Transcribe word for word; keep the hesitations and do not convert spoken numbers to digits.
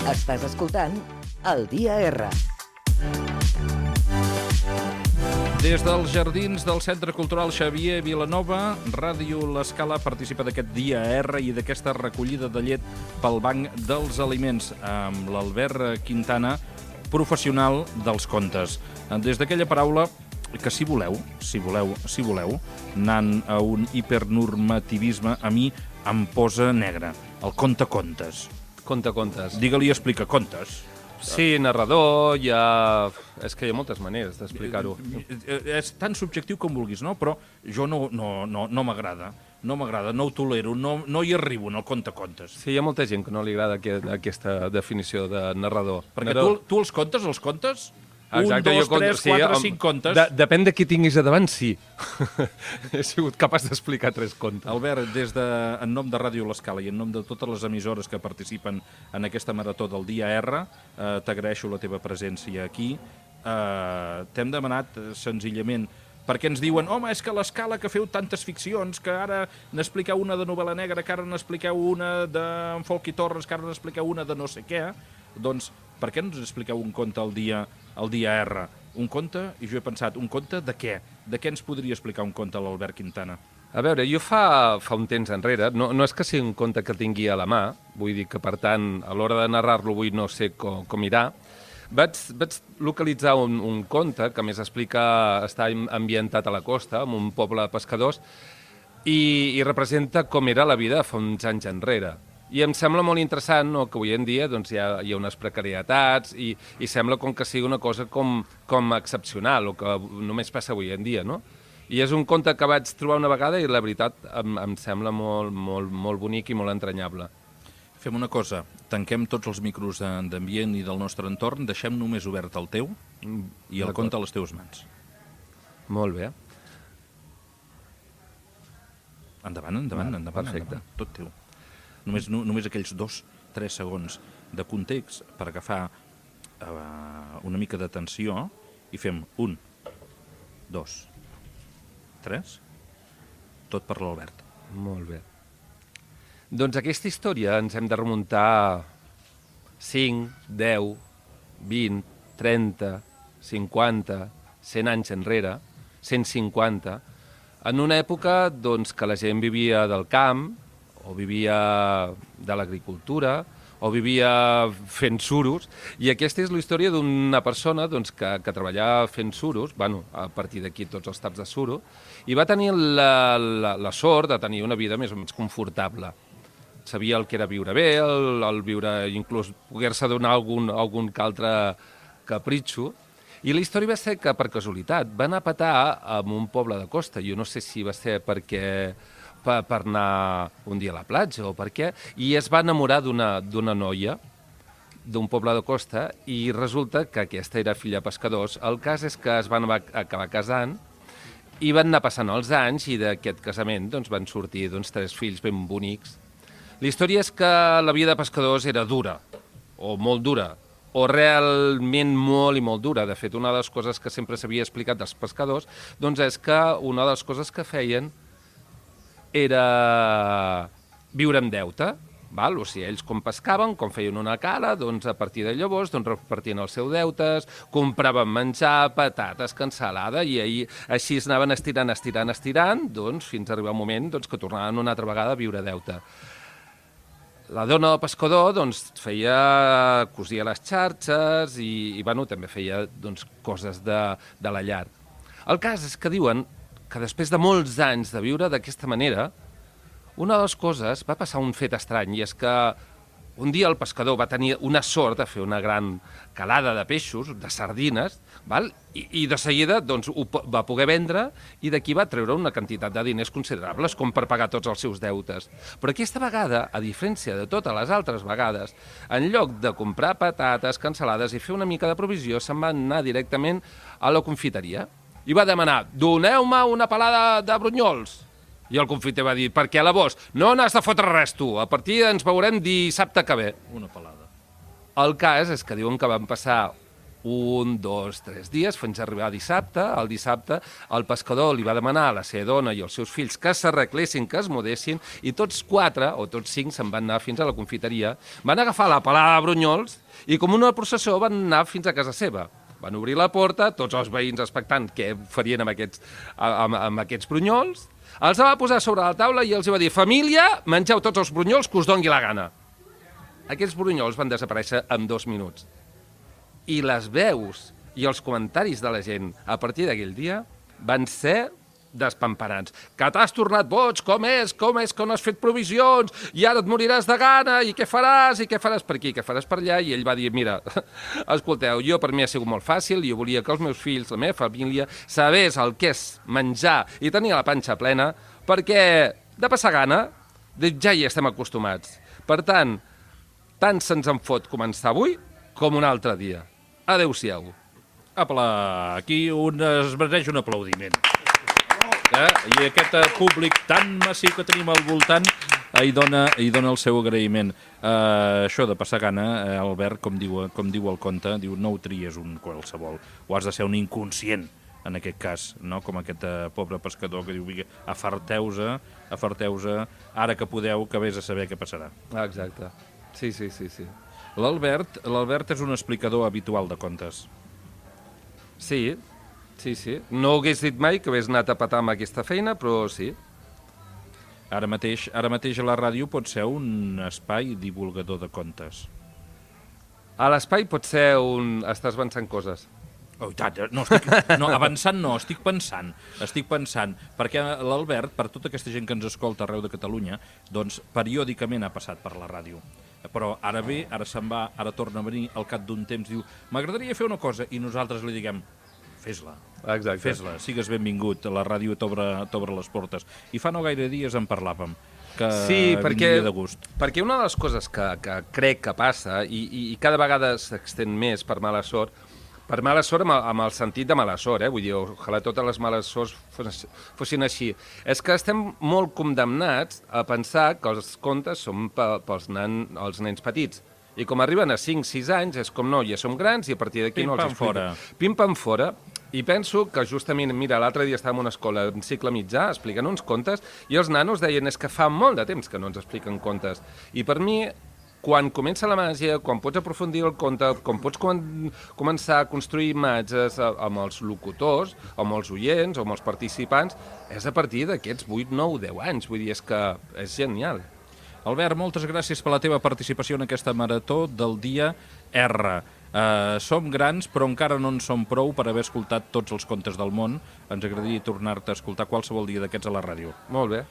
Estàs escoltant El Dia R. Des dels jardins del Centre Cultural Xavier Vilanova, Ràdio L'Escala participa d'aquest Dia R i d'aquesta recollida de llet pel Banc dels Aliments amb l'Albert Quintana, professional dels contes. Des d'aquella paraula que si voleu, si voleu, si voleu, anant a un hipernormativisme, a mi em posa negre. El conte-contes. Conte-contes. Digue-li explica contes. Sí, narrador, hi ha... És que hi ha moltes maneres d'explicar-ho. És tan subjectiu com vulguis, no? Però jo no, no, no, no m'agrada. No m'agrada, no ho tolero, no, no hi arribo en el conte-contes. Sí, hi ha molta gent que no li agrada aquest, aquesta definició de narrador. Perquè narrador... tu, tu els contes, els contes? Exacte, un, dos, jo tres, sí, quatre, amb... cinc contes. De, depèn de qui tinguis a davant, sí. He sigut capaç d'explicar tres contes. Albert, des de, en nom de Ràdio L'Escala i en nom de totes les emissores que participen en aquesta marató del Dia R, eh, t'agraeixo la teva presència aquí. Eh, T'hem demanat, eh, senzillament, perquè ens diuen, home, és que l'Escala que feu tantes ficcions, que ara n'expliqueu una de novel·la negra, que ara n'expliqueu una d'en Folchi Torres, que ara n'expliqueu una de no sé què, doncs per què no ens expliqueu un conte al dia, al dia R? Un conte, i jo he pensat, un conte de què? De què ens podria explicar un conte l'Albert Quintana? A veure, jo fa, fa un temps enrere, no, no és que sigui un conte que tingui a la mà, vull dir que, per tant, a l'hora de narrar-lo avui no sé com, com irà, vaig, vaig localitzar un, un conte que més explica, està ambientat a la costa, en un poble de pescadors, i, i representa com era la vida fa uns anys enrere. I em sembla molt interessant, no?, que avui en dia doncs, hi, ha, hi ha unes precarietats i, i sembla com que sigui una cosa com, com excepcional o que només passa avui en dia, no? I és un conte que vaig trobar una vegada i la veritat em, em sembla molt, molt, molt bonic i molt entranyable. Fem una cosa, tanquem tots els micros d'ambient i del nostre entorn, deixem només obert el teu i el conte a les teves mans. Molt bé. Endavant, endavant, Va, endavant, perfecte. endavant, tot teu. Només, no, només aquells dos, tres segons de context per agafar uh, una mica d'atenció i fem un, dos, tres, tot per l'Albert. Molt bé. Doncs aquesta història ens hem de remuntar cinc, deu, vint, trenta, cinquanta, cent anys enrere, cent cinquanta, en una època doncs, que la gent vivia del camp, o vivia de l'agricultura, o vivia fent suros, i aquesta és la història d'una persona doncs, que, que treballava fent suros, bueno, a partir d'aquí tots els taps de suro, i va tenir la, la, la sort de tenir una vida més o menys confortable. Sabia el que era viure bé, el, el viure, inclús poder-se donar algun, algun que altre capritxo, i la història va ser que, per casualitat, va anar a petar en un poble de costa. Jo no sé si va ser perquè... Per, per anar un dia a la platja o per què, i es va enamorar d'una d'una noia d'un poble de costa i resulta que aquesta era filla de pescadors. El cas és que es van acabar casant i van anar passant els anys i d'aquest casament doncs, van sortir doncs, tres fills ben bonics. La història és que la vida de pescadors era dura, o molt dura, o realment molt i molt dura. De fet, una de les coses que sempre s'havia explicat dels pescadors doncs, és que una de les coses que feien era viure amb deute, val? O sigui, ells com pescaven, com feien una cala, doncs a partir de llavors doncs, repartien els seus deutes, compraven menjar, patates, cansalada, i ahir, així es anaven estirant, estirant, estirant, doncs, fins a arribar un moment doncs, que tornaven una altra vegada a viure deute. La dona del pescador doncs, feia, cosia les xarxes i, i bueno, també feia doncs, coses de, de la llar. El cas és que diuen que després de molts anys de viure d'aquesta manera, una de les coses va passar un fet estrany, i és que un dia el pescador va tenir una sort de fer una gran calada de peixos, de sardines, val? I, i de seguida doncs, ho va poder vendre i d'aquí va treure una quantitat de diners considerables com per pagar tots els seus deutes. Però aquesta vegada, a diferència de totes les altres vegades, en lloc de comprar patates, cansalades i fer una mica de provisió, se'n va anar directament a la confiteria i va demanar, doneu-me una pelada de brunyols. I el confiter va dir, per què a la vos? No n'has de fotre res, tu. A partir ens veurem dissabte que ve. Una pelada. El cas és que diuen que van passar un, dos, tres dies, fins a arribar a dissabte. El dissabte el pescador li va demanar a la seva dona i als seus fills que s'arreglessin, que es mudessin, i tots quatre, o tots cinc, se'n van anar fins a la confiteria, van agafar la palada de brunyols i com una processó van anar fins a casa seva. Van obrir la porta, tots els veïns expectant què farien amb aquests, amb, amb aquests brunyols, els va posar sobre la taula i els va dir: família, mengeu tots els brunyols que us dongui la gana. Aquests brunyols van desaparèixer en dos minuts. I les veus i els comentaris de la gent a partir d'aquell dia van ser despamparants. Que t'has tornat boig, com és, com és que no has fet provisions, i ara et moriràs de gana, i què faràs, i què faràs per aquí, què faràs per allà, i ell va dir: mira, escolteu, jo per mi ha sigut molt fàcil, jo volia que els meus fills, la meva família, sabés el que és menjar i tenir la panxa plena, perquè de passar gana ja hi estem acostumats. Per tant, tant se'ns en fot començar avui com un altre dia. Adéu-siau. Apa, aquí un, es mereix un aplaudiment. Eh? I aquest eh, públic tan massiu que tenim al voltant eh, hi, dona, hi dona el seu agraïment. Eh, això de passar gana, eh, Albert, com diu, com diu el conte, diu: no ho tries un qualsevol, o has de ser un inconscient, en aquest cas, no? Com aquest eh, pobre pescador que diu: afarteu-se, afarteu-se, ara que podeu, que vés a saber què passarà. Exacte. Sí, sí, sí, sí. L'Albert, l'Albert és un explicador habitual de contes. Sí, sí, sí. No hagués dit mai que hagués anat a petar amb aquesta feina, però sí. Ara mateix, ara mateix a la ràdio pot ser un espai divulgador de contes. A l'espai pot ser un... Estàs avançant coses. Oh, tant, no, estic, no, avançant no, estic pensant, estic pensant, perquè l'Albert, per tota aquesta gent que ens escolta arreu de Catalunya, doncs periòdicament ha passat per la ràdio. Però ara ve, ara se'n va, ara torna a venir, al cap d'un temps diu: m'agradaria fer una cosa, i nosaltres li diguem: fes-la, Exacte. fes-la, sigues benvingut, la ràdio t'obre les portes. I fa no gaire dies en parlàvem, que sí, perquè, vindria de gust. Perquè una de les coses que, que crec que passa, i, i, i cada vegada s'extén més per mala sort, per mala sort amb el, amb el sentit de mala sort, eh? Vull dir, ojalà totes les males sorts fos, fossin així. És que estem molt condemnats a pensar que els contes són pe, pels nan, els nens petits. I com arriben a cinc sis anys, és com no, ja som grans i a partir d'aquí no els explico. Pim-pam fora. Pim-pam fora. I penso que justament, mira, l'altre dia estàvem en una escola en cicle mitjà explicant uns contes i els nanos deien: és que fa molt de temps que no ens expliquen contes. I per mi, quan comença la màgia, quan pots aprofundir el conte, quan pots com començar a construir imatges amb els locutors, amb els oients, amb els participants, és a partir d'aquests vuit, nou, deu anys. Vull dir, és que és genial. Albert, moltes gràcies per la teva participació en aquesta marató del dia R. Uh, som grans, però encara no en som prou per haver escoltat tots els contes del món. Ens agradaria tornar-te a escoltar qualsevol dia d'aquests a la ràdio. Molt bé.